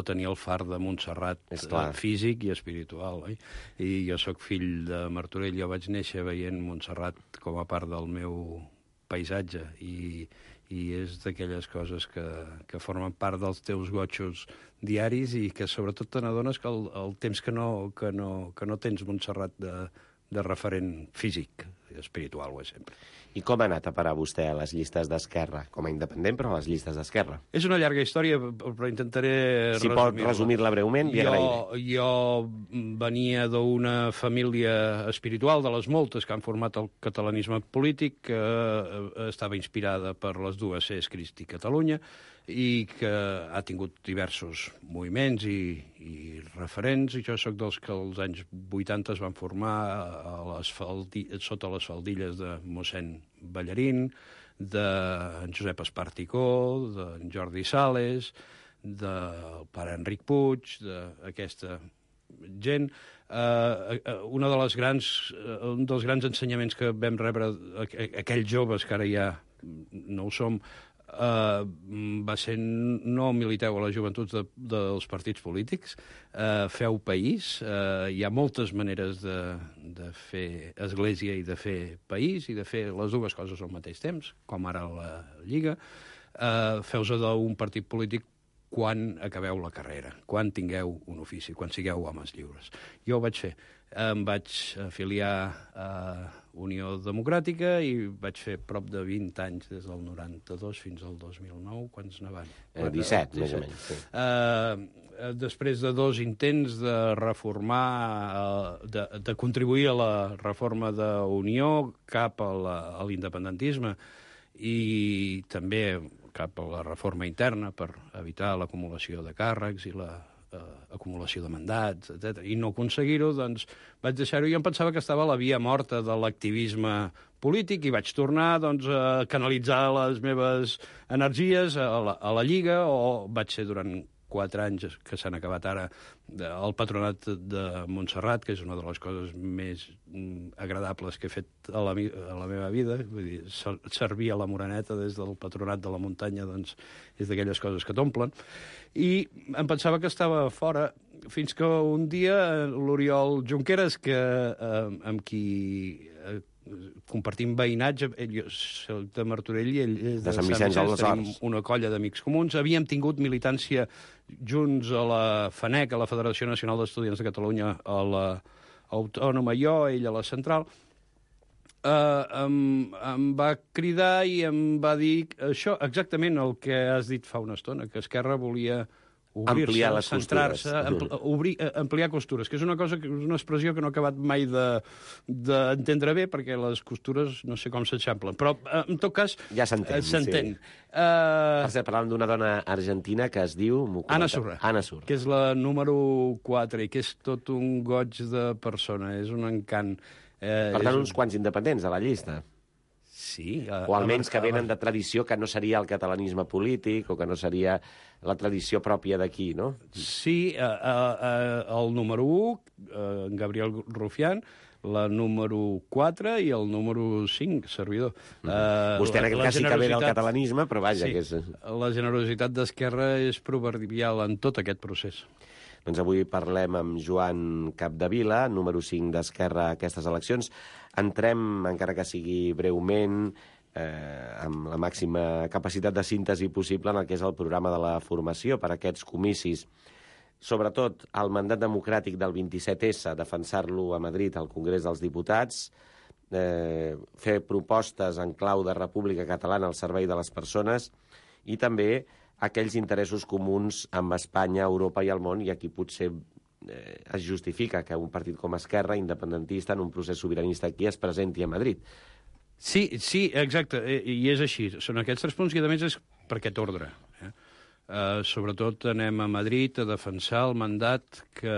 tenir el far de Montserrat físic i espiritual. I jo sóc fill de Martorell, jo vaig néixer veient Montserrat com a part del meu paisatge i és d'aquelles coses que formen part dels teus gotxos diaris i que sobretot te n'adones que el temps que no tens Montserrat de referent físic, espiritual ho és sempre. I com ha anat a parar vostè a les llistes d'Esquerra? Com a independent, però a les llistes d'Esquerra. És una llarga història, però intentaré si pot resumir-la breument, li agrairé. Jo venia d'una família espiritual, de les moltes que han format el catalanisme polític, que estava inspirada per les dues Cs, Crist i Catalunya, i que ha tingut diversos moviments i referents, i jo sóc dels que als anys 80 es van formar sota les faldilles de mossèn Ballarín, d'en Josep Esparticó, d'en Jordi Sales, del pare Enric Puig, d'aquesta gent. Un dels grans ensenyaments que vam rebre aquells joves, que ara ja no ho som, va ser no militeu a les joventuts dels partits polítics, feu país, hi ha moltes maneres de fer església i de fer país i de fer les dues coses al mateix temps, com ara la Lliga. Feu-se d'un partit polític quan acabeu la carrera, quan tingueu un ofici, quan sigueu homes lliures. Jo ho vaig fer. Em vaig afiliar a Unió Democràtica i vaig fer prop de 20 anys, des del 92 fins al 2009, quants ne van? 17, més o menys. Sí. Després de 2 intents de reformar, de contribuir a la reforma d'Unió cap a l'independentisme i també cap a la reforma interna per evitar l'acumulació de càrrecs i l'acumulació de mandats, etc. I no aconseguir-ho, doncs vaig deixar-ho. Jo em pensava que estava a la via morta de l'activisme polític i vaig tornar a canalitzar les meves energies a la Lliga, o vaig ser durant 4 anys, que s'han acabat ara, al Patronat de Montserrat, que és una de les coses més agradables que he fet a la meva vida. Vull dir, servir a la Moreneta des del Patronat de la Muntanya, doncs, és d'aquelles coses que t'omplen. I em pensava que estava fora, fins que un dia l'Oriol Junqueras, amb qui compartim veïnatge, ell soc de Martorell i ell és de Sant Vicenç, tenim una colla d'amics comuns, havíem tingut militància junts a la FANEC, a la Federació Nacional d'Estudiants de Catalunya, a l'Autònoma, jo, ell a la Central. Em va cridar i em va dir això, exactament el que has dit fa una estona, que Esquerra volia obrir-se, centrar-se, ampliar costures, que és una expressió que no he acabat mai d'entendre bé, perquè les costures no sé com s'eixamplen, però en tot cas ja s'entén. Sí. Parlàvem d'una dona argentina que es diu Anna Surra, que és la número 4 i que és tot un goig de persona, és un encant. Per tant, uns quants independents a la llista. Sí. O almenys que venen de tradició que no seria el catalanisme polític o que no seria la tradició pròpia d'aquí, no? Sí, el número 1, Gabriel Rufián, la número 4 i el número 5, servidor. Vostè en aquest cas sí que ve del catalanisme, però vaja... Sí, la generositat d'Esquerra és proverbial en tot aquest procés. Doncs avui parlem amb Joan Capdevila, número 5 d'Esquerra a aquestes eleccions. Entrem, encara que sigui breument, amb la màxima capacitat de síntesi possible en el que és el programa de la formació per a aquests comicis. Sobretot, el mandat democràtic del 27S, defensar-lo a Madrid al Congrés dels Diputats, fer propostes en clau de República Catalana al servei de les persones i també aquells interessos comuns amb Espanya, Europa i el món, i aquí potser es justifica que un partit com Esquerra, independentista, en un procés sobiranista aquí, es presenti a Madrid. Sí, exacte, i és així. Són aquests 3 punts i, a més, és per aquest ordre. Sobretot anem a Madrid a defensar el mandat que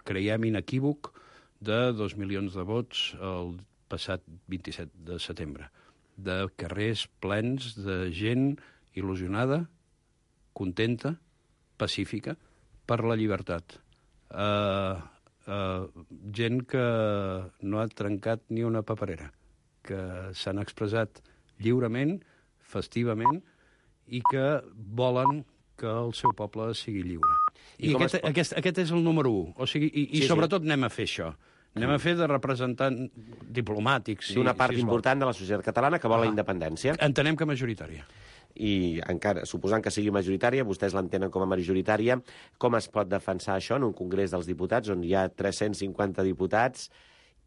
creiem inequívoc de 2 milions de vots el passat 27 de setembre. De carrers plens de gent il·lusionada, contenta, pacífica, per la llibertat. Gent que no ha trencat ni una paperera, que s'han expressat lliurement, festivament, i que volen que el seu poble sigui lliure. I aquest és el número 1. O sigui, i sobretot anem a fer això. Anem a fer de representant diplomàtic. D'una part important de la societat catalana que vol la independència. Entenem que majoritària. I encara, suposant que sigui majoritària, vostès l'entenen com a majoritària, com es pot defensar això en un Congrés dels Diputats on hi ha 350 diputats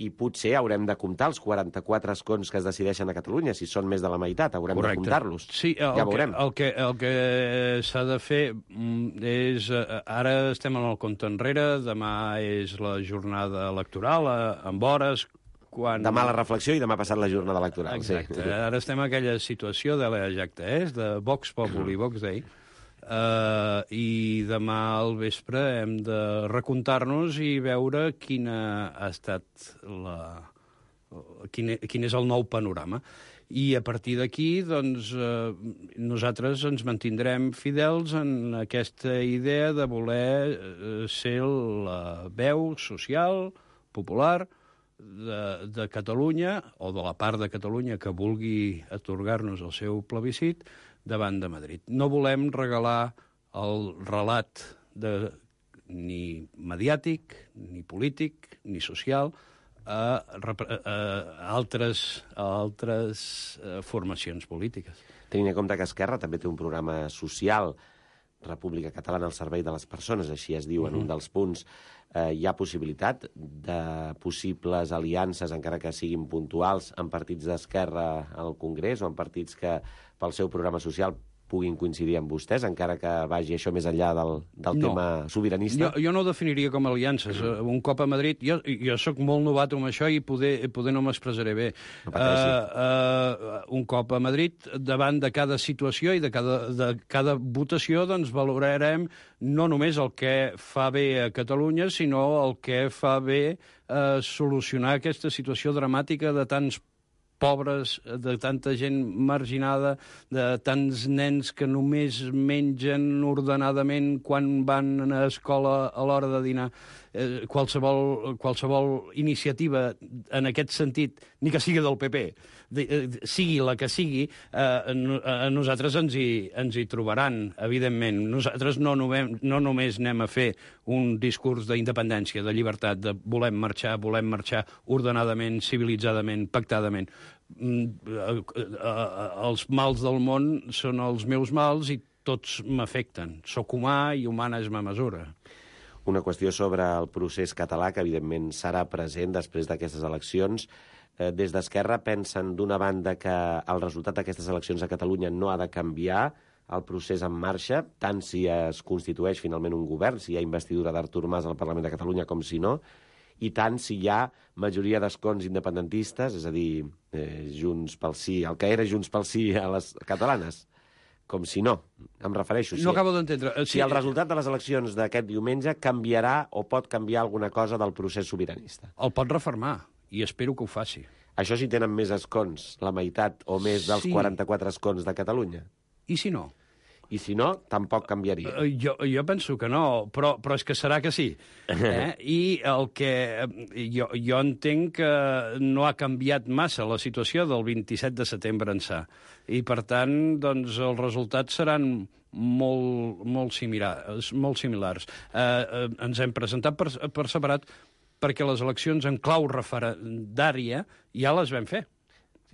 i potser haurem de comptar els 44 escons que es decideixen a Catalunya? Si són més de la meitat, haurem de comptar-los. Sí, ja veurem. El que s'ha de fer és... Ara estem en el compte enrere, demà és la jornada electoral, amb hores... Demà la reflexió i demà passat la jornada electoral. Exacte. Sí. Ara estem en aquella situació de l'Ejacte, de Vox Populi, Vox Dei, i demà al vespre hem de recomptar-nos i veure quina ha estat quin és el nou panorama. I a partir d'aquí, doncs, nosaltres ens mantindrem fidels en aquesta idea de voler ser la veu social, popular, de Catalunya, o de la part de Catalunya que vulgui atorgar-nos el seu plebiscit, davant de Madrid. No volem regalar el relat ni mediàtic, ni polític, ni social a altres formacions polítiques. Tenint en compte que Esquerra també té un programa social, República Catalana al servei de les persones, així es diu en un dels punts, hi ha possibilitat de possibles aliances, encara que siguin puntuals, en partits d'esquerra al Congrés o en partits que pel seu programa social puguin coincidir amb vostès, encara que vagi això més enllà del tema sobiranista? Jo no ho definiria com aliances. Un cop a Madrid... Jo sóc molt novato amb això i poder no m'expressaré bé. Un cop a Madrid, davant de cada situació i de cada votació, doncs valorarem no només el que fa bé a Catalunya, sinó el que fa bé solucionar aquesta situació dramàtica de tants pobres, de tanta gent marginada, de tants nens que només mengen ordenadament quan van a escola a l'hora de dinar. Qualsevol iniciativa en aquest sentit, ni que sigui del PP, sigui la que sigui, a nosaltres ens hi trobaran, evidentment. Nosaltres no només anem a fer un discurs d'independència, de llibertat, de volem marxar ordenadament, civilitzadament, pactadament. Els mals del món són els meus mals i tots m'afecten. Soc humà i humana és ma mesura. Una qüestió sobre el procés català, que evidentment serà present després d'aquestes eleccions. Des d'Esquerra pensen, d'una banda, que el resultat d'aquestes eleccions a Catalunya no ha de canviar el procés en marxa, tant si es constitueix finalment un govern, si hi ha investidura d'Artur Mas al Parlament de Catalunya com si no, i tant si hi ha majoria d'escons independentistes, és a dir, Junts pel Sí, el que era Junts pel Sí a les catalanes, com si no, em refereixo. No acabo d'entendre. Si el resultat de les eleccions d'aquest diumenge canviarà o pot canviar alguna cosa del procés sobiranista. El pot refermar, i espero que ho faci. Això si tenen més escons, la meitat o més dels 44 escons de Catalunya. I si no? I si no, tampoc canviaria. Jo penso que no, però és que serà que sí. I el que jo entenc que no ha canviat massa la situació del 27 de setembre ençà. I, per tant, doncs, els resultats seran molt similars. Ens hem presentat per separat perquè les eleccions en clau referendària ja les vam fer.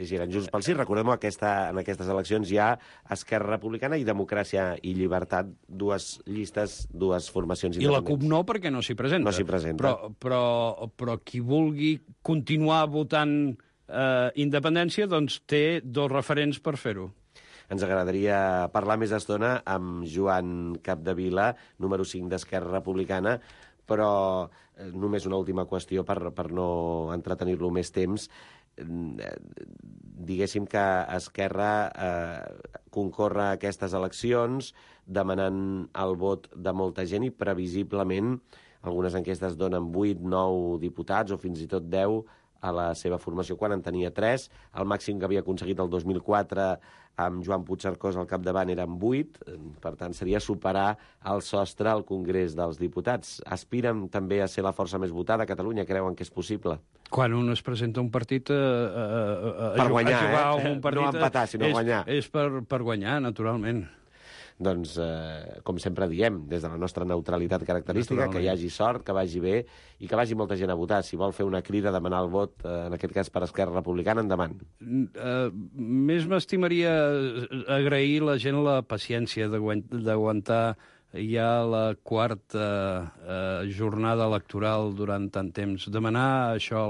Sí, eren Junts pel Sí. Recordem-ho, en aquestes eleccions hi ha Esquerra Republicana i Democràcia i Llibertat, dues llistes, dues formacions independents. I la CUP no, perquè no s'hi presenta. No s'hi presenta. Però qui vulgui continuar votant independència, doncs té dos referents per fer-ho. Ens agradaria parlar més estona amb Joan Capdevila, número 5 d'Esquerra Republicana, però només una última qüestió per no entretenir-lo més temps. Diguéssim que Esquerra concorre a aquestes eleccions demanant el vot de molta gent i previsiblement algunes enquestes donen 8, 9 diputats o fins i tot 10 a la seva formació quan en tenia 3. El màxim que havia aconseguit el 2004 amb Joan Puigcercós al capdavant eren 8, per tant seria superar el sostre al Congrés dels Diputats. Aspiren també a ser la força més votada a Catalunya, creuen que és possible? Quan un es presenta a un partit per guanyar, a jugar a un partit, no empatar, sinó guanyar. És per guanyar, naturalment. doncs, com sempre diem, des de la nostra neutralitat característica, que hi hagi sort, que vagi bé i que vagi molta gent a votar. Si vol fer una crida a demanar el vot, en aquest cas per Esquerra Republicana, endavant. Més m'estimaria agrair a la gent la paciència d'aguantar ja la quarta jornada electoral durant tant temps. Demanar això,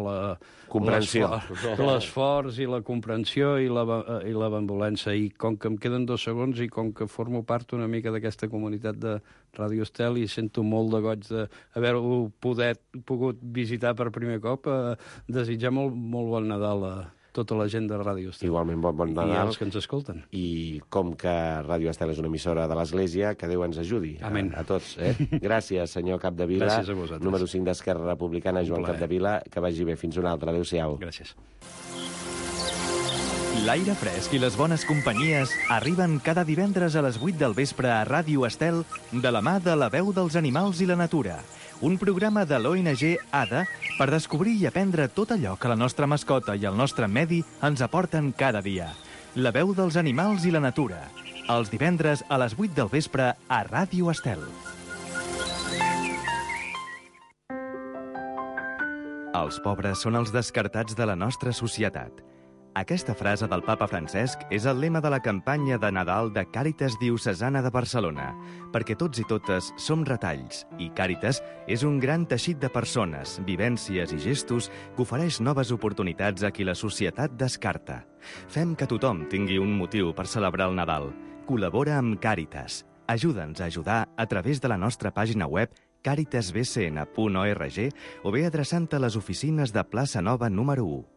l'esforç i la comprensió i la benevolència. I com que em queden 2 segons i com que formo part una mica d'aquesta comunitat de Ràdio Estel i sento molt de goig d'haver-ho pogut visitar per primer cop, desitjar molt bon Nadal a tota la gent de Ràdio Estel. Igualment, bon Nadal. I els que ens escolten. I com que Ràdio Estel és una emissora de l'Església, que Déu ens ajudi a tots. Gràcies, senyor Capdevila. Gràcies a vosaltres. Número 5 d'Esquerra Republicana, Joan Capdevila. Que vagi bé. Fins una altra. Adéu-siau. Gràcies. L'aire fresc i les bones companyies arriben cada divendres a les 8 del vespre a Ràdio Estel de la mà de La Veu dels Animals i la Natura, un programa de l'ONG ADA per descobrir i aprendre tot allò que la nostra mascota i el nostre medi ens aporten cada dia. La Veu dels Animals i la Natura, els divendres a les 8 del vespre a Ràdio Estel. Els pobres són els descartats de la nostra societat. Aquesta frase del papa Francesc és el lema de la campanya de Nadal de Càritas Diocesana de Barcelona, perquè tots i totes som retalls, i Càritas és un gran teixit de persones, vivències i gestos que ofereix noves oportunitats a qui la societat descarta. Fem que tothom tingui un motiu per celebrar el Nadal. Col·labora amb Càritas. Ajuda'ns a ajudar a través de la nostra pàgina web caritasbcn.org o bé adreçant-te a les oficines de Plaça Nova número 1.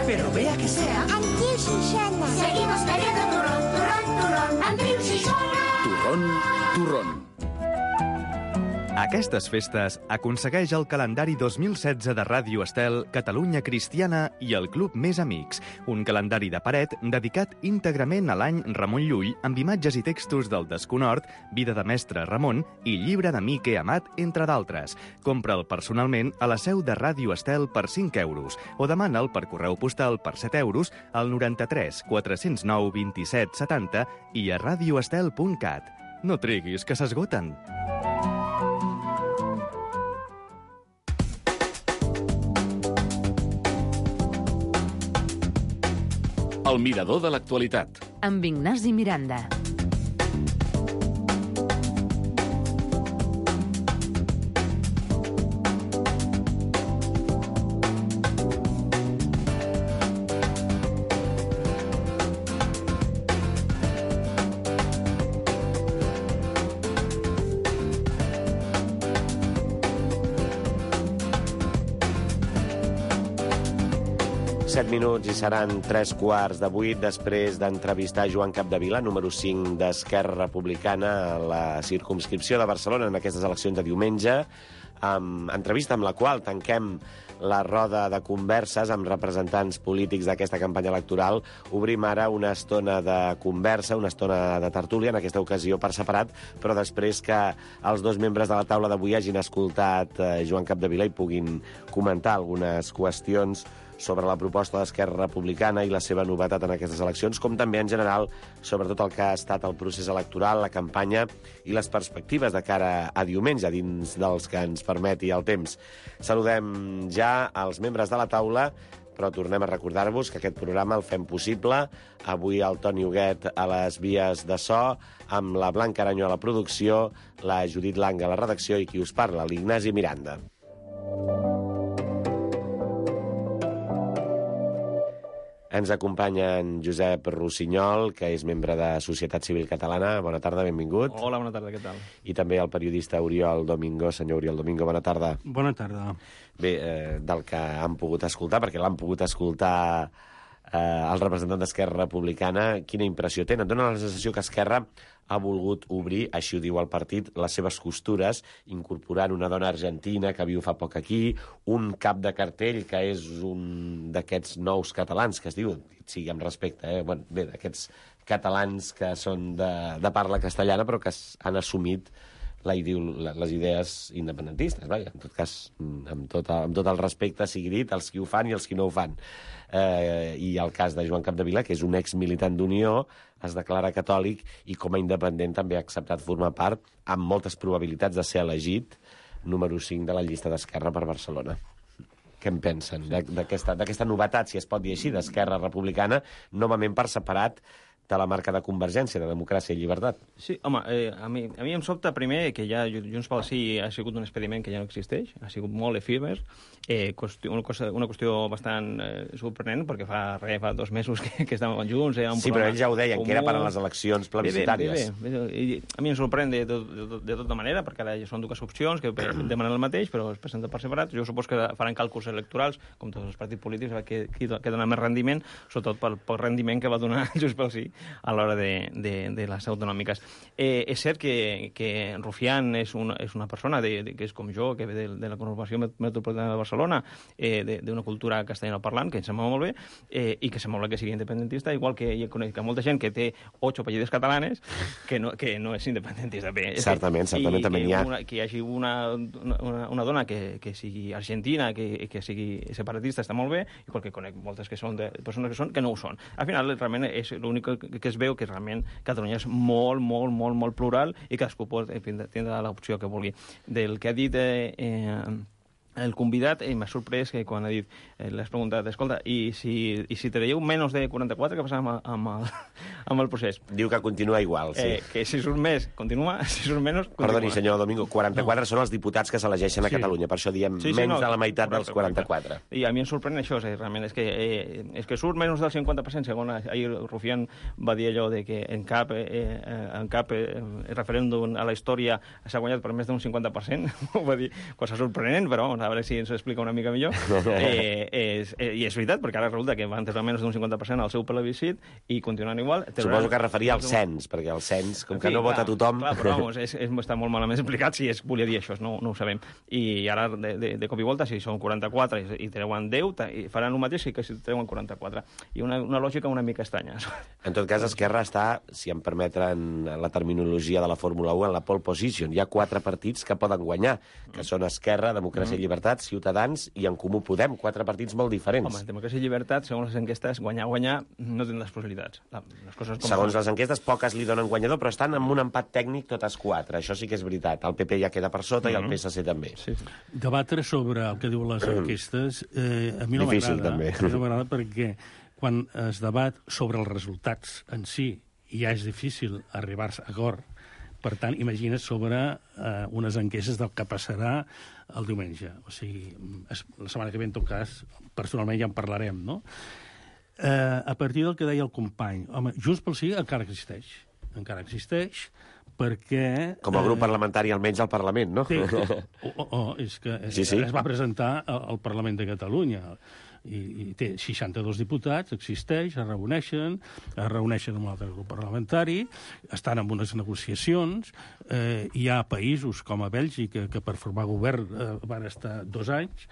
Pero vea que sea. Andreu Xixona. Seguimos bebiendo turrón, turrón, turrón. Andreu Xixona. Turrón. Aquestes festes aconsegueix el calendari 2016 de Ràdio Estel, Catalunya Cristiana i el Club Més Amics, un calendari de paret dedicat íntegrament a l'any Ramon Llull amb imatges i textos del Desconhort, Vida de Mestre Ramon i Llibre d'Amic que he amat, entre d'altres. Compra'l personalment a la seu de Ràdio Estel per 5 euros o demana'l per correu postal per 7 euros al 93 409 27 70 i a radioestel.cat. No triguis, que s'esgoten. El mirador de l'actualitat. Amb Ignasi Miranda. Minuts i seran 7:15 després d'entrevistar Joan Capdevila, número 5 d'Esquerra Republicana a la circumscripció de Barcelona en aquestes eleccions de diumenge, entrevista amb la qual tanquem la roda de converses amb representants polítics d'aquesta campanya electoral. Obrim ara una estona de conversa, una estona de tertúlia, en aquesta ocasió per separat, però després que els 2 membres de la taula d'avui hagin escoltat Joan Capdevila i puguin comentar algunes qüestions sobre la proposta d'Esquerra Republicana i la seva novetat en aquestes eleccions, com també en general sobre tot el que ha estat el procés electoral, la campanya i les perspectives de cara a diumenge, dins dels que ens permeti el temps. Saludem ja els membres de la taula, però tornem a recordar-vos que aquest programa el fem possible. Avui el Toni Huguet a les vies de so, amb la Blanca Aranyo a la producció, la Judit Langa a la redacció i qui us parla, l'Ignasi Miranda. Ens acompanya en Josep Rossinyol, que és membre de Societat Civil Catalana. Bona tarda, benvingut. Hola, bona tarda, què tal? I també el periodista Oriol Domingo. Senyor Oriol Domingo, bona tarda. Bona tarda. Bé, del que han pogut escoltar, perquè l'han pogut escoltar el representant d'Esquerra Republicana, quina impressió tenen? Dóna la sensació que Esquerra ha volgut obrir, així ho diu el partit, les seves costures, incorporant una dona argentina que viu fa poc aquí, un cap de cartell que és un d'aquests nous catalans, que es diu, sigui amb respecte, bueno, bé, d'aquests catalans que són de parla castellana, però que han assumit les idees independentistes. Vaja, en tot cas, amb tot el respecte sigui dit, els qui ho fan i els qui no ho fan. I el cas de Joan Capdevila, que és un exmilitant d'Unió, es declara catòlic i com a independent també ha acceptat formar part, amb moltes probabilitats de ser elegit, número 5 de la llista d'Esquerra per Barcelona. Què en pensen d'aquesta novetat, si es pot dir així, d'Esquerra Republicana, novament per separat de la marca de Convergència, de Democràcia i Llibertat? Sí, home, a mi em sobta primer que ja Junts pel Sí ha sigut un experiment que ja no existeix, ha sigut molt efímer, una qüestió bastant sorprenent, perquè fa 2 mesos que estàvem junts. Sí, però ells ja ho deien, que era per a les eleccions plebiscitàries. Bé. A mi em sorprèn de tota manera, perquè ara són 2 opcions que demanen el mateix, però es presenten per separat. Jo supos que faran càlculs electorals, com tots els partits polítics, que dona més rendiment, sobretot pel rendiment que va donar Junts pel Sí a l'hora de les autonòmiques. És cert que Rufián és una persona que és com jo, que ve de la conurbació metropolitana de Barcelona, d'una cultura castellanoparlant, que em sembla molt bé, i que sembla que sigui independentista, igual que jo conec molta gent que té 8 apellides catalanes que no és independentista. Bé, certament també n'hi ha. Que hi hagi una dona que sigui argentina, que sigui separatista, està molt bé, igual que conec moltes que són de persones que no ho són. Al final, realment, és l'únic que es veu que realment Catalunya és molt, molt, molt, molt plural i cadascú pot tindre l'opció que vulgui. Del que ha dit el convidat, m'ha sorprès que quan ha dit, l'has preguntat, escolta, i si traieu menys de 44, què passa amb el procés? Diu que continua igual, sí. Que si surt més, continua, si surt menys, continua. Perdoni, senyor Domingo, 44 són els diputats que s'elegeixen a Catalunya, per això diem menys de la meitat dels 44. I a mi em sorprèn això, realment, és que surt menys del 50%, segons ahir Rufián va dir allò de que en cap referèndum a la història s'ha guanyat per més d'un 50%, ho va dir, cosa sorprenent, però a veure si ens ho explica una mica millor. I és veritat, perquè ara resulta que van tenir menys d'un 50% al seu plebiscit i continuen igual. Suposo que es referia al cens, perquè el cens, com que no vota tothom... Clar, però vamos, està molt malament explicat si es volia dir això, no ho sabem. I ara, de cop i volta, si són 44 i treuen 10, faran el mateix que si treuen 44. I una lògica una mica estranya. En tot cas, Esquerra està, si em permeten la terminologia de la Fórmula 1, en la pole position. Hi ha 4 partits que poden guanyar, que són Esquerra, Democràcia i Llibertat, Ciutadans i En Comú Podem, 4 partits molt diferents. Home, Democràcia i Llibertat, segons les enquestes, guanyar, no tenen les possibilitats. Segons les enquestes, poques li donen guanyador, però estan amb un empat tècnic totes 4. Això sí que és veritat. El PP ja queda per sota i el PSC també. Sí. Debatre sobre el que diuen les enquestes a mi no m'agrada. A mi no m'agrada perquè quan es debat sobre els resultats en si ja és difícil arribar a acord. Per tant, imagina't sobre unes enquestes del que passarà el diumenge. O sigui, la setmana que ve, en tot cas, personalment ja en parlarem, no? A partir del que deia el company, home, Junts pel Sí encara existeix perquè... Com a grup parlamentari, almenys al Parlament, no? És que es va presentar al Parlament de Catalunya i té 62 diputats, existeix, es reuneixen amb un altre grup parlamentari, estan en unes negociacions, hi ha països com a Bèlgica que per formar govern van estar 2 anys,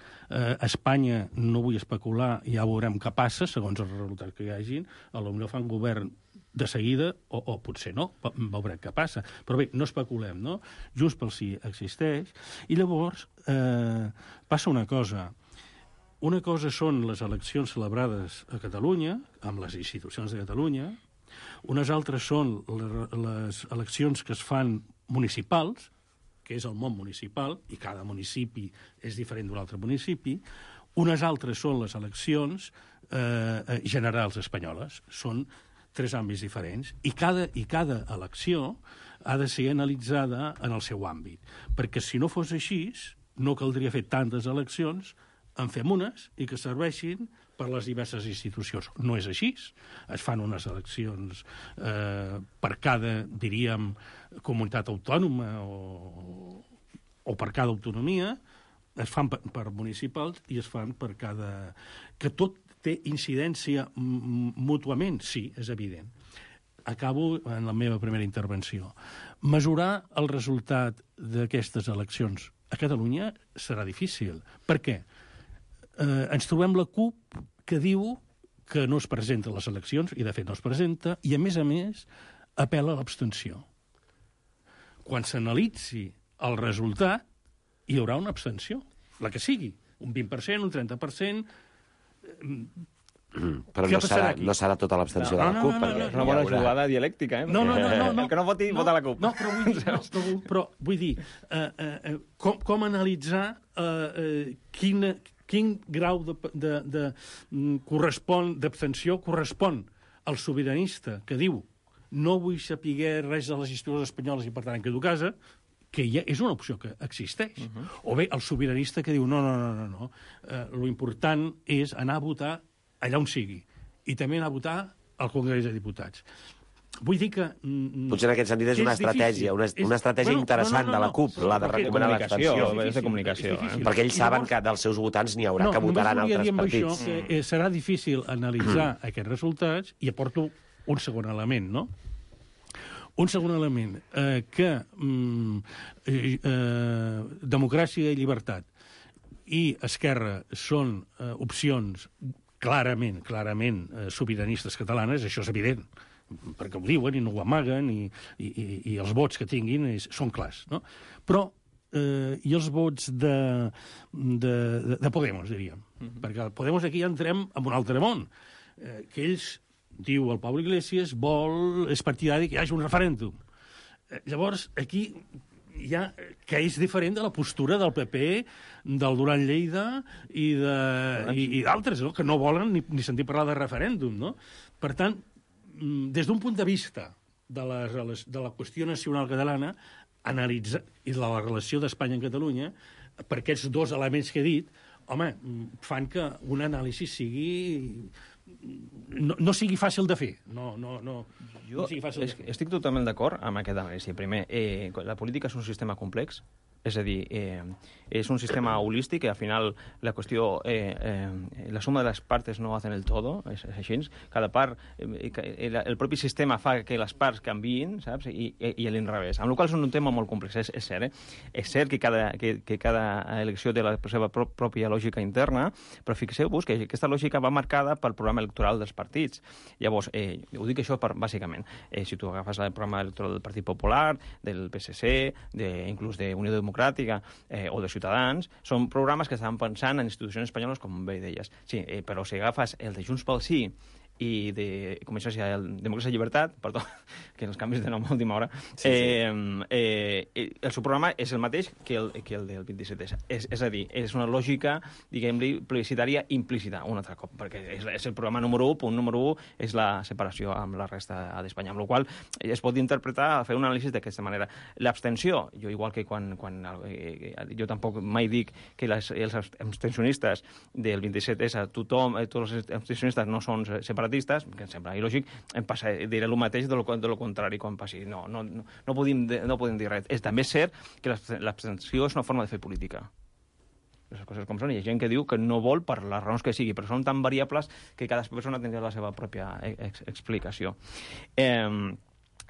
Espanya, no vull especular, ja veurem què passa, segons els resultats que hi hagin, potser fan govern de seguida, o potser no, veurem què passa. Però bé, no especulem, no? Junts pel Sí existeix, i llavors passa una cosa. Una cosa són les eleccions celebrades a Catalunya, amb les institucions de Catalunya, unes altres són les eleccions que es fan municipals, que és el món municipal, i cada municipi és diferent d'un altre municipi, unes altres són les eleccions generals espanyoles, són 3 àmbits diferents, i cada elecció ha de ser analitzada en el seu àmbit, perquè si no fos així, no caldria fer tantes eleccions, en fem unes i que serveixin per les diverses institucions. No és així. Es fan unes eleccions per cada, diríem, comunitat autònoma o per cada autonomia, es fan per municipals i es fan per cada... Que tot té incidència mútuament, sí, és evident. Acabo en la meva primera intervenció. Mesurar el resultat d'aquestes eleccions a Catalunya serà difícil. Per què? Ens trobem la CUP que diu que no es presenta a les eleccions, i de fet no es presenta, i a més, apel·la a l'abstenció. Quan s'analitzi el resultat, hi haurà una abstenció, la que sigui, un 20%, un 30%... Però no serà tota l'abstenció de la CUP, perquè és una bona jugada dialèctica, No. El que no voti, vota la CUP. No, però vull dir, com analitzar quin grau d'abstenció correspon al sobiranista que diu no vull saber res de les institucions espanyoles i, per tant, em quedo a casa, que ja és una opció que existeix. O bé, el sobiranista que diu no. Lo important és anar a votar allà on sigui, i també anar a votar al Congrés de Diputats. Vull dir que... Potser en aquest sentit és una estratègia, una estratègia interessant de la CUP, la de recomanar l'abstenció. És de comunicació. Perquè ells saben que dels seus votants n'hi haurà que votaran altres partits. Això, que serà difícil analitzar aquests resultats, i aporto un segon element, no? Un segon element, que democràcia i llibertat i Esquerra són opcions clarament sobiranistes catalanes, això és evident, perquè ho diuen i no ho amaguen, i els vots que tinguin són clars, no? Però i els vots de Podemos, diríem. Perquè Podemos aquí entrem en un altre món, que ells, diu el Pablo Iglesias, és partidari que hi hagi un referèndum. Llavors, aquí que és diferent de la postura del PP, del Duran Lleida i d'altres, no? Que no volen ni sentir parlar de referèndum, no? Per tant, des d'un punt de vista de la qüestió nacional catalana, analitzar i de la relació d'Espanya amb Catalunya, per aquests dos elements que he dit, home, fan que un anàlisi no sigui fàcil de fer. Jo estic totalment d'acord amb aquest anàlisi. Primer, la política és un sistema complex, és a dir, és un sistema holístic i al final la qüestió, la suma de les parts no hacen el todo, és així. Cada part, el propi sistema fa que les parts canviïn, saps? I l'inrevés. Amb la qual cosa és un tema molt complex, és cert. És cert que cada elecció té la seva pròpia lògica interna, però fixeu-vos que aquesta lògica va marcada pel programa electoral dels partits. Llavors, ho dic això bàsicament. Si tu agafes el programa electoral del Partit Popular, del PSC, inclús d'Unió Democràtica o de Ciutadans, són programes que estaven pensant en institucions espanyoles, com bé deies. Sí, però si agafes el de Junts pel Sí i de Democràcia i Llibertat, perdó, que els canvis de nom a última hora, el seu programa és el mateix que el del 27. És a dir, és una lògica, diguem-li, plebiscitària implícita, un altre cop, perquè és el programa número 1, punt número 1, és la separació amb la resta d'Espanya, amb la qual es pot interpretar, fer un anàlisi d'aquesta manera. L'abstenció, jo igual que quan jo tampoc mai dic que els abstencionistes del 27 tothom, tots els abstencionistes no són separatistes, que em sembla il·lògic, diré el mateix de lo contrari quan passi. No podem dir res. També és cert que l'abstenció és una forma de fer política. Les coses com són. Hi ha gent que diu que no vol per les raons que sigui, però són tan variables que cada persona tindrà la seva pròpia explicació.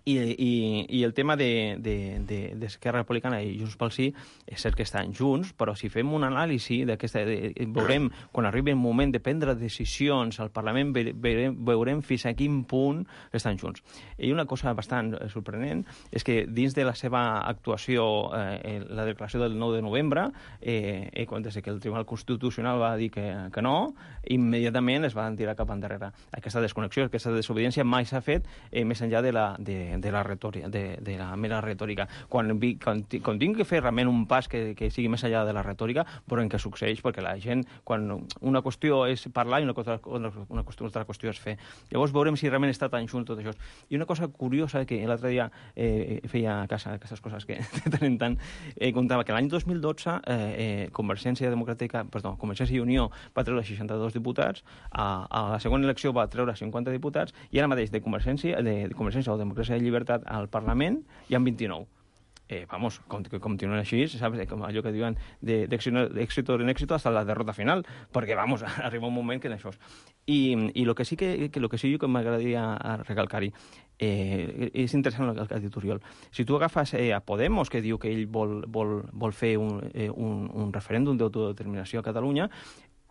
I el tema d'Esquerra Republicana i Junts pel Sí és cert que estan junts, però si fem un anàlisi veurem, quan arribi el moment de prendre decisions al Parlament, veurem fins a quin punt estan junts. I una cosa bastant sorprenent és que dins de la seva actuació, la declaració del 9 de novembre, des que el Tribunal Constitucional va dir que no, immediatament es van tirar cap endarrere. Aquesta desconnexió, aquesta desobediència mai s'ha fet més enllà de la retòrica, de la mera retòrica. Quan tinc que fer realment un pas que sigui més enllà de la retòrica, veurem què succeeix, perquè la gent, quan una qüestió és parlar i una altra qüestió és fer. Llavors veurem si realment està tan junt tot això. I una cosa curiosa, que l'altre dia feia a casa aquestes coses que tenen tant, contava que l'any 2012 Convergència i Unió va treure 62 diputats, a la segona elecció va treure 50 diputats, i ara mateix de Convergència o Democràcia i Llibertat al Parlament hi ha 29. Que continuen així, saps? Com allò que diuen d'èxito en èxito hasta la derrota final, perquè, arriba un moment que això és. I el que sí que m'agradaria recalcar-hi, és interessant el que ha dit Oriol. Si tu agafes a Podemos, que diu que ell vol fer un referèndum d'autodeterminació a Catalunya,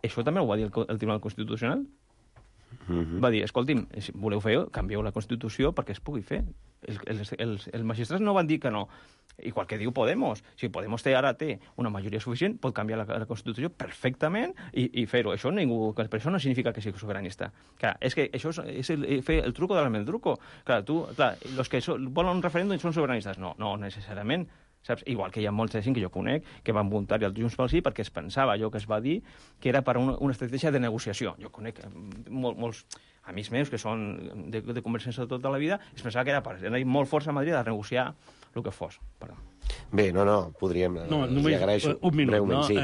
això també ho va dir el Tribunal Constitucional. Va dir, escolti'm, si voleu fer, canvieu la Constitució perquè es pugui fer. Els magistrats no van dir que no. Igual que diu Podemos. Si Podemos ara té una majoria suficient, pot canviar la Constitució perfectament i fer-ho. Això per això no significa que sigui sobiranista. Clar, és que això és fer el truco de l'almendruco. Clar, els que volen un referèndum són sobiranistes. No necessàriament. Saps? Igual que hi ha molta gent que jo conec que van voluntari al Junts pel Sí perquè es pensava allò que es va dir que era per una estratègia de negociació. Jo conec molts amics meus que són de Convergència de tota la vida, es pensava que era per anar molt forts a Madrid a negociar el que fos. Perdó. Bé, podríem... Només un minut, breument, no? Sí.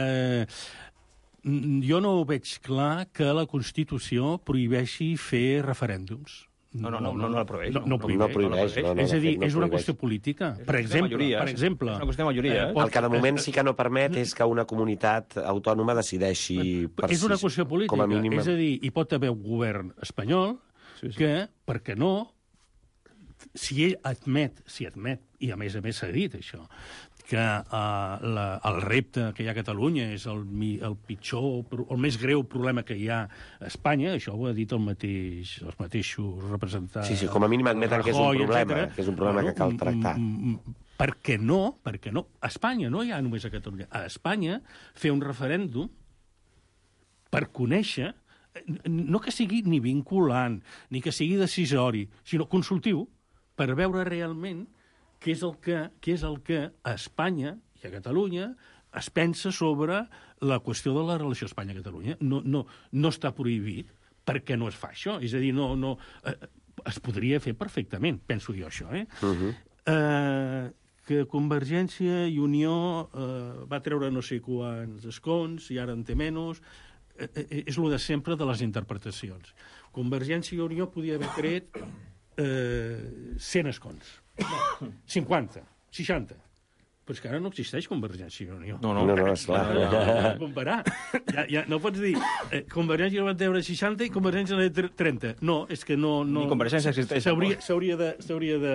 Jo no veig clar que la Constitució prohibeixi fer referèndums. No la prohibeix. No prohibeix. És a dir, és una qüestió política. Per exemple... És una qüestió de majoria. El que de moment sí que no permet és que una comunitat autònoma decideixi... És una qüestió política. És a dir, hi pot haver un govern espanyol que, per què no, si ell admet, i a més s'ha dit això, que el repte que hi ha a Catalunya és el pitjor, el més greu problema que hi ha a Espanya, això ho ha dit els mateixos representants... Sí, com a mínim admeten que és un problema, que és un problema que cal tractar. Per què no? A Espanya, no hi ha només a Catalunya. A Espanya, fer un referèndum per conèixer, no que sigui ni vinculant, ni que sigui decisori, sinó consultiu, per veure realment què és el que a Espanya i a Catalunya es pensa sobre la qüestió de la relació Espanya-Catalunya. No està prohibit perquè no es fa això. És a dir, es podria fer perfectament, penso jo això. Que Convergència i Unió va treure no sé quants escons i ara en té menys, és el de sempre de les interpretacions. Convergència i Unió podia haver tret 100 escons. 50, 60. Però és que ara no existeix Convergència i Unió. No, esclar. No comparar. No pots dir Convergència va treure 60 i Convergència va treure 30. No, és que no... Ni Convergència existeix. S'hauria de...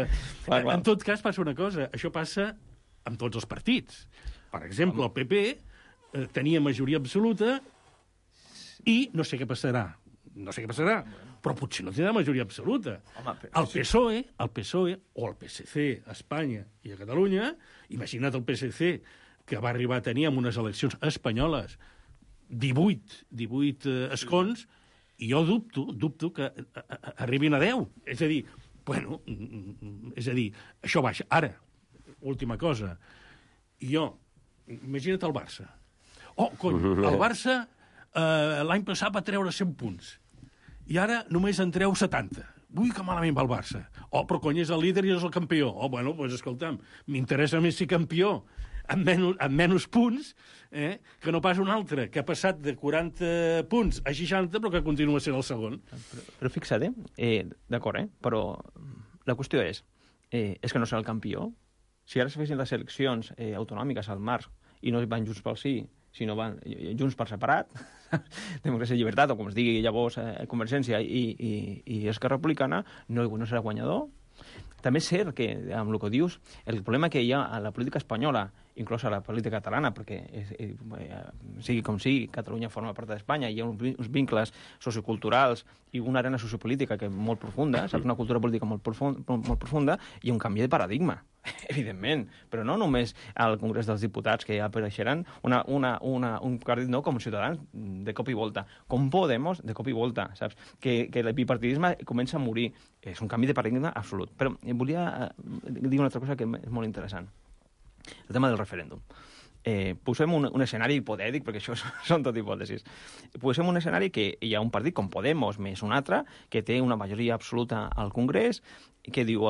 En tot cas passa una cosa. Això passa amb tots els partits. Per exemple, el PP tenia majoria absoluta i no sé què passarà. Però potser no tindrà majoria absoluta. El PSOE o el PSC a Espanya i a Catalunya, imagina't el PSC que va arribar a tenir en unes eleccions espanyoles 18 escons, i jo dubto que arribin a 10. És a dir, això baixa. Ara, última cosa, imagina't el Barça. El Barça l'any passat va treure 100 punts. I ara només en treu 70. Ui, que malament va el Barça. Però cony, és el líder i és el campió. Doncs escolta'm, m'interessa més ser campió amb menys punts que no pas un altre, que ha passat de 40 punts a 60, però que continua sent el segon. Però fixa't, d'acord, però la qüestió és que no serà el campió. Si ara es fessin les eleccions autonòmiques al març i no van Junts pel Sí, sinó van Junts per separat, Democràcia i Llibertat, o com es digui llavors Convergència i Esquerra Republicana, no serà guanyador. També és cert que, amb el que dius, el problema que hi ha a la política espanyola, inclús a la política catalana, perquè sigui com sigui, Catalunya forma part d'Espanya, hi ha uns vincles socioculturals i una arena sociopolítica que és molt profunda, saps? Una cultura política molt profunda, i un canvi de paradigma, evidentment, però no només al Congrés dels Diputats, que ja apareixeran un partit nou com Ciutadans, de cop i volta, com Podemos, de cop i volta, saps? Que el bipartidisme comença a morir. És un canvi de paradigma absolut. Però volia dir una altra cosa que és molt interessant. El tema del referèndum. Posem un escenari hipotètic, perquè això són tot hipòtesis. Posem un escenari que hi ha un partit com Podemos més un altre, que té una majoria absoluta al Congrés, que diu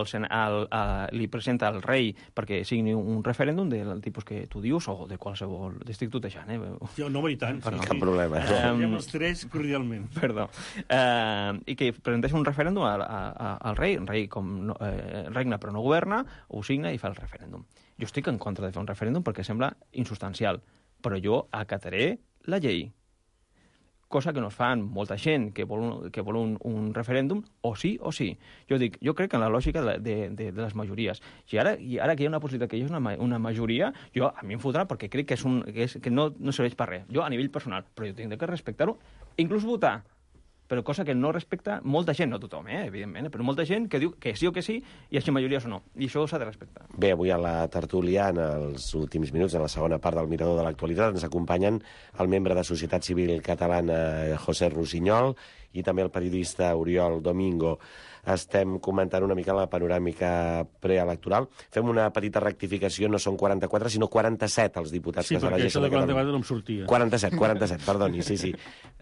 li presenta al rei perquè signi un referèndum del tipus que tu dius, o de qualsevol... Estic tutejant, Jo no, i tant. Cap problema. Diem els tres cordialment. Perdó. I que presenteix un referèndum al rei. El rei regna però no governa, ho signa i fa el referèndum. Jo estic en contra de fer un referèndum perquè sembla insubstancial, però jo acataré la llei. Cosa que no fa molta gent que vol un referèndum, o sí o sí. Jo crec en la lògica de les majories. I ara que hi ha una possibilitat que hi hagi una majoria, a mi em fotrà perquè crec que no serveix per res. Jo, a nivell personal, però jo tinc que respectar-ho, inclús votar. però cosa que no respecta molta gent, no tothom, evidentment, però molta gent que diu que sí o que sí, i així majories o no. I això s'ha de respectar. Bé, avui a la tertúlia, en els últims minuts, en la segona part del Mirador de l'Actualitat, ens acompanyen el membre de Societat Civil Catalana, José Rusiñol, i també el periodista Oriol Domingo. Estem comentant una mica la panoràmica preelectoral. Fem una petita rectificació, no són 44, sinó 47 els diputats que s'elegeixen a Catalunya. Sí, perquè això de 44 no em sortia. 47, perdoni, sí.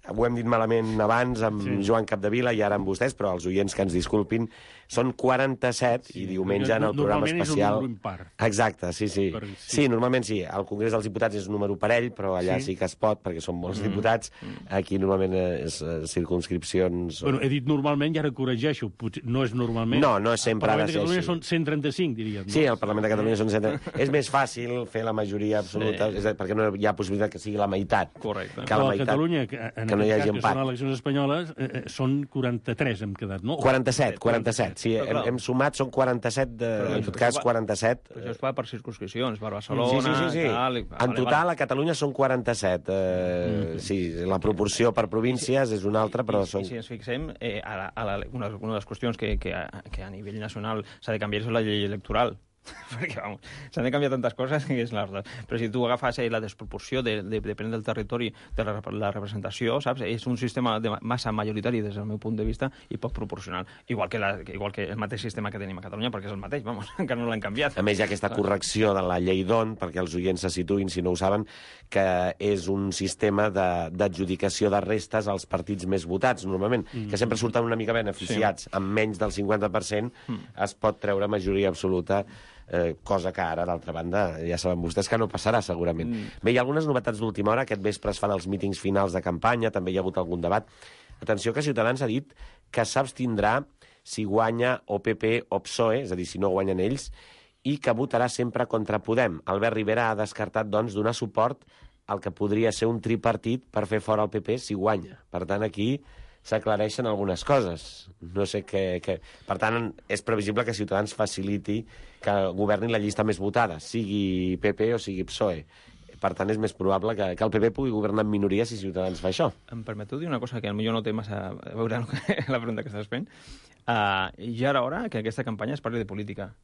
Ho hem dit malament abans amb Joan Capdevila i ara amb vostès, però els oients que ens disculpin, són 47 i diumenge en el programa especial... Normalment és un número impar. Exacte, sí. Sí, normalment sí. Al Congrés dels Diputats és un número parell, però allà sí que es pot, perquè són molts diputats. Aquí normalment és circumscripcions... Bueno, he dit normalment i ara corregeixo. No és normalment. No és sempre ha de ser així. Al Parlament de Catalunya són 135, diríem. No? Sí, al Parlament de Catalunya són 135. És més fàcil fer la majoria absoluta, perquè no hi ha possibilitat que sigui la meitat. Correcte. Que la meitat, a Catalunya, que no hi hagi empat. Que són eleccions espanyoles, són 43, hem quedat, no? 47. Sí, hem sumat, són 47, en tot cas 47. Però això es fa per circunscripcions, per Barcelona... Sí. En total, a Catalunya són 47. Sí, la proporció per províncies és una altra, però són... I si ens fixem, una de les qüestions que a nivell nacional s'ha de canviar és la llei electoral. Perquè, vamos, s'han de canviar tantes coses que és la veritat. Però si tu agafes la desproporció depèn del territori de la representació, saps? És un sistema de massa majoritari des del meu punt de vista i poc proporcional. Igual que el mateix sistema que tenim a Catalunya, perquè és el mateix, vamos, encara no l'han canviat. A més, hi ha aquesta correcció de la llei d'ON, perquè els oients se situïn, si no ho saben, que és un sistema d'adjudicació de restes als partits més votats, normalment, que sempre surten una mica beneficiats. Amb menys del 50% es pot treure majoria absoluta, cosa que ara, d'altra banda, ja saben vostès que no passarà, segurament. Bé, hi ha algunes novetats d'última hora. Aquest vespre es fan els mítings finals de campanya, també hi ha hagut algun debat. Atenció que Ciutadans ha dit que s'abstindrà si guanya o PP o PSOE, és a dir, si no guanyen ells, i que votarà sempre contra Podem. Albert Rivera ha descartat, doncs, donar suport al que podria ser un tripartit per fer fora el PP si guanya. Per tant, aquí s'aclareixen algunes coses. No sé què... Per tant, és previsible que Ciutadans faciliti que governi la llista més votada, sigui PP o sigui PSOE. Per tant, és més probable que el PP pugui governar en minoria si Ciutadans fa això. Em permeteu dir una cosa que potser no té massa a veure amb la pregunta que estàs fent? Ja era hora que aquesta campanya es parli de política.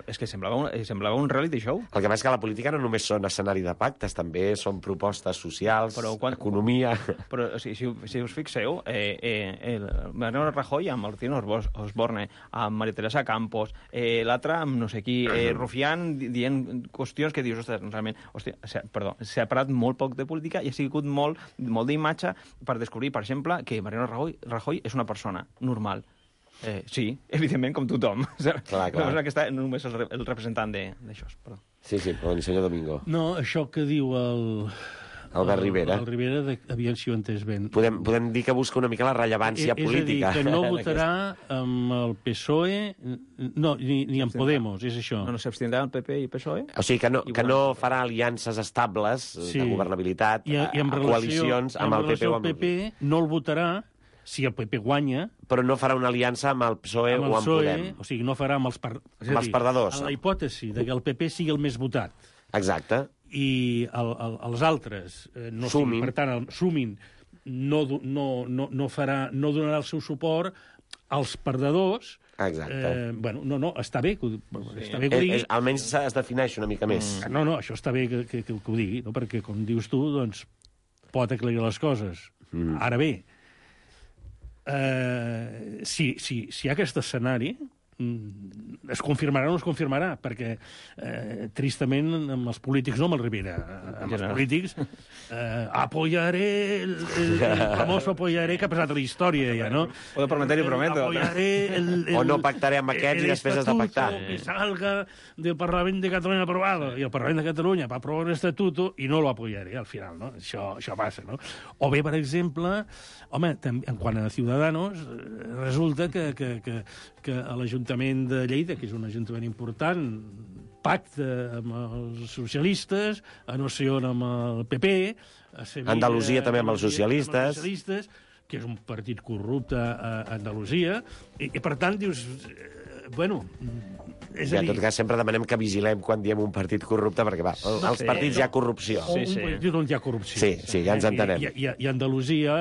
És que semblava un reality show. El que passa és que la política no només són escenari de pactes, també són propostes socials, economia... Però si us fixeu, Mariano Rajoy amb Martín Osborne, amb María Teresa Campos, l'altre amb no sé qui, Rufián dient qüestions que dius, ostres, realment, s'ha parlat molt poc de política i ha sigut molt d'imatge per descobrir, per exemple, que Mariano Rajoy és una persona normal. Sí, evidentment, com tothom. Clar. No és que està només el representant d'això. Sí, però el senyor Domingo. No, això que diu Albert Rivera. El Rivera, aviam si ho entès ben. Podem dir que busca una mica la rellevància política. És a dir, que no votarà amb el PSOE, no, ni amb Podemos, és això. No s'abstindrà el PP i PSOE? O sigui, que no farà aliances estables de governabilitat, i amb coalicions amb el PP o amb el PP no el votarà si el PP guanya... Però no farà una aliança amb el PSOE o amb Podem. O sigui, no farà amb els perdedors. En la hipòtesi de que el PP sigui el més votat. Exacte. I els altres no sumin. Per tant, sumin, no donarà el seu suport als perdedors. Exacte. Està bé que ho digui. Almenys es defineix una mica més. No, això està bé que ho digui, no? Perquè, com dius tu, doncs, pot aclarir les coses. Ara bé, si hi ha aquest escenari, es confirmarà o no es confirmarà, perquè tristament amb els polítics, no amb el Rivera, amb els polítics apoyaré el famoso apoyaré que ha passat a la història ja, no? O de prometer i prometo. O no pactaré amb aquests i després has de pactar. Que salga del Parlament de Catalunya aprobado, i el Parlament de Catalunya va aprovar un estatuto i no lo apoyaré al final, no? Això passa, no? O bé, per exemple, home, en quant a Ciudadanos, resulta que a l'Ajuntament de Lleida, que és un ajuntament important, pacte amb els socialistes, a no sé on amb el PP, a Sevilla... Andalusia també amb els socialistes. Que és un partit corrupte a Andalusia, i per tant, dius... Bueno, és I a en dir... tot cas sempre demanem que vigilem quan diem un partit corrupte, perquè va, als partits hi ha corrupció. Un partit on hi ha corrupció. Sí, ja ens entenem. I Andalusia,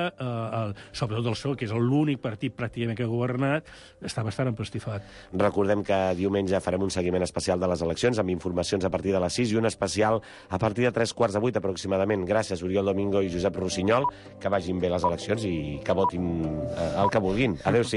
sobretot el PSOE, que és l'únic partit pràcticament que ha governat, està bastant empastifat. Recordem que diumenge farem un seguiment especial de les eleccions amb informacions a partir de les 6 i un especial a partir de 7:45 aproximadament. Gràcies, Oriol Domingo i Josep Rossinyol, que vagin bé les eleccions i que votin el que vulguin. Adéu-siau.